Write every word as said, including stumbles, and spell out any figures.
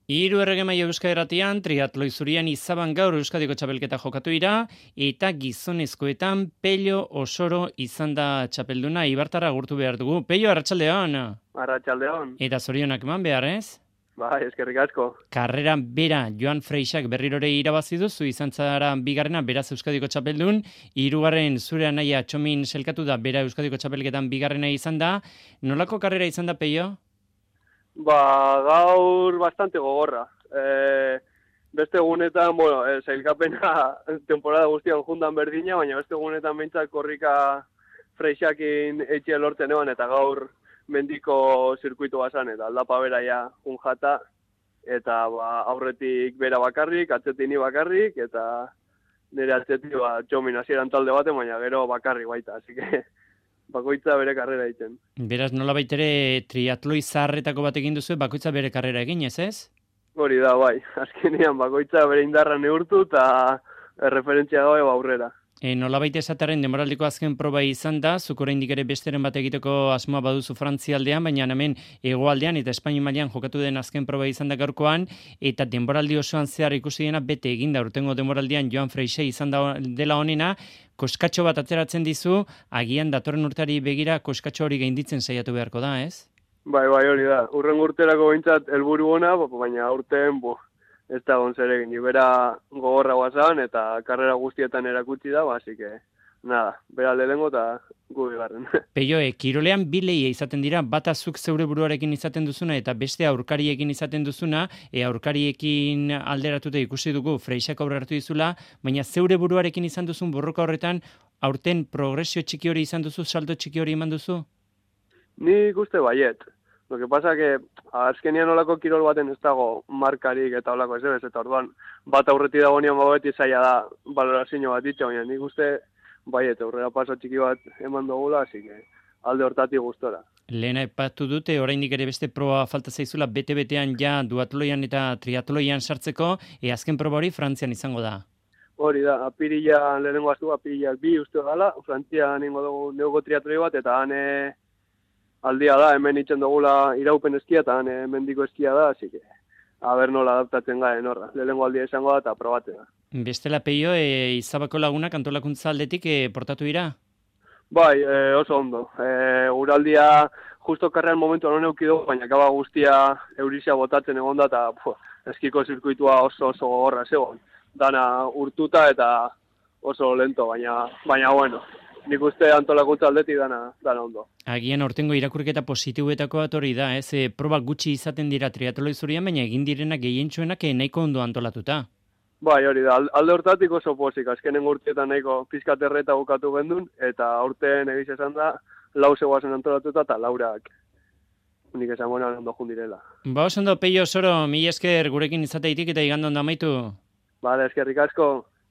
Hiru erregemaile Euskadi Irratian, triatloi zurian izaban gaur Euskadiko txapelketa jokatu ira, eta gizonezkoetan Pello Osoro izan da txapelduna, Ibartarra agurtu behar dugu. Pello, arratsaldeon. Arratsaldeon. Eta zorionak eman behar, ez? Bai, eskerrik asko. Karrera bera Joan Freixak berrirore irabazi duzu, izan zara bigarrena, beraz Euskadiko txapeldun, hirugarren zure anaia Txomin selkatu da, bera Euskadiko txapelketan bigarrena izan da. Nolako karrera izan da, Pello? Ba, gaur bastante gogorra. E, beste egunetan, bueno, e, sailkapena temporada guztian jundan berdina, baina beste egunetan behintzat korrika Freixakin etxea lortzen eban, eta gaur mendiko zirkuitu bazan, eta aldapa bera ja jata, eta ba, aurretik bera bakarrik, atzetik ni bakarrik, eta nire atzetik ba, Txomin hasieran talde baten, baina gero bakarrik baita, así que bakoitza bere karrera egiten. Beraz, nola baitere triatloi zaharretako bat egin duzu, bakoitza bere karrera egin, ez ez? Hori da, bai. Azkenean bakoitza bere indarra neurtu eta referentzia gabe aurrera. E, nola baita esataren demoraldiko azken proba izan da, zuk oraindik ere besteren bat egiteko asmoa baduzu Frantzialdean, baina hemen hegoaldean eta Espainia mailan jokatu den azken proba izan da gaurkoan, eta denboraldi osoan zehar ikusi dena bete eginda urtengo denboraldian Joan Freixe izan da dela honena, koskatxo bat atzeratzen dizu, agian datorren urteari begira koskatxo hori gainditzen saiatu beharko da, ez? Bai, bai, hori da. Urren urterako behintzat helburu ona, baina urten, bo, ez da gonzer egin, bera gogorra guazan eta karrera guztietan erakutsi da, basi que, nada, bera lehengo eta gu bigarren. Peio, e, kirolean bi lehia izaten dira, bata zuk zeure buruarekin izaten duzuna eta beste aurkariekin izaten duzuna, e, aurkariekin alderatuta ikusi dugu Freixak aurreratu dizula, baina zeure buruarekin izan duzun borroka horretan, aurten progresio txiki hori izan duzu, salto txiki hori eman duzu? Ni uste baiet. Lo que pasa que azkenian olako kirol baten ez dago markarik eta olako ez ez, eta orduan bat aurreti dago nian beti zaila da valorazio bat ditza, baina nik uste baiet, aurrera paso txiki bat eman dugula, así que alde hortatik gustora. Lehena epatu dute, oraindik ere beste proba falta zaizula, bete-betean ja duatloian eta triatloian sartzeko, e azken proba hori Frantzian izango da. Hori da, apirilan lehenengo aztu, apirilak bi uste gala, Frantzian ningo dugu neugo triatloi bat, eta hane aldia da, hemen itzen dugula iraupen eskia, eta hane mendiko eskia da, así que a ber nola adaptatzen garen horra. Lehenengo aldia izango da, eta probatzen da. Bestela, Peio, e, Izabako lagunak antolakuntza aldetik e, portatu dira? Bai, e, oso ondo. E, uraldia justo karrean momentu non euki dugu, baina kaba guztia eurizia botatzen egon da, eta eskiko zirkuitua oso oso gogorra zegoen. Dana urtuta eta oso lento, baina, baina bueno, nik uste antolakuntza aldetik dana, dana ondo. Agian aurtengo irakurketa positibuetako bat hori da, ez? E, proba gutxi izaten dira triatloi zurian, baina egin direnak gehientsuenak nahiko ondo antolatuta. Bai, hori da, alde hortatik oso pozik, azkenen urtietan nahiko pizkaterreta bukatu gendun, eta aurten egiz esan da, lau zegoazen antolatuta eta laurak unik esan bonan ondo jundirela. Ba, oso ondo, Pello Osoro, mila esker gurekin izateitik eta igandon da amaitu. Bale, eskerrik asko.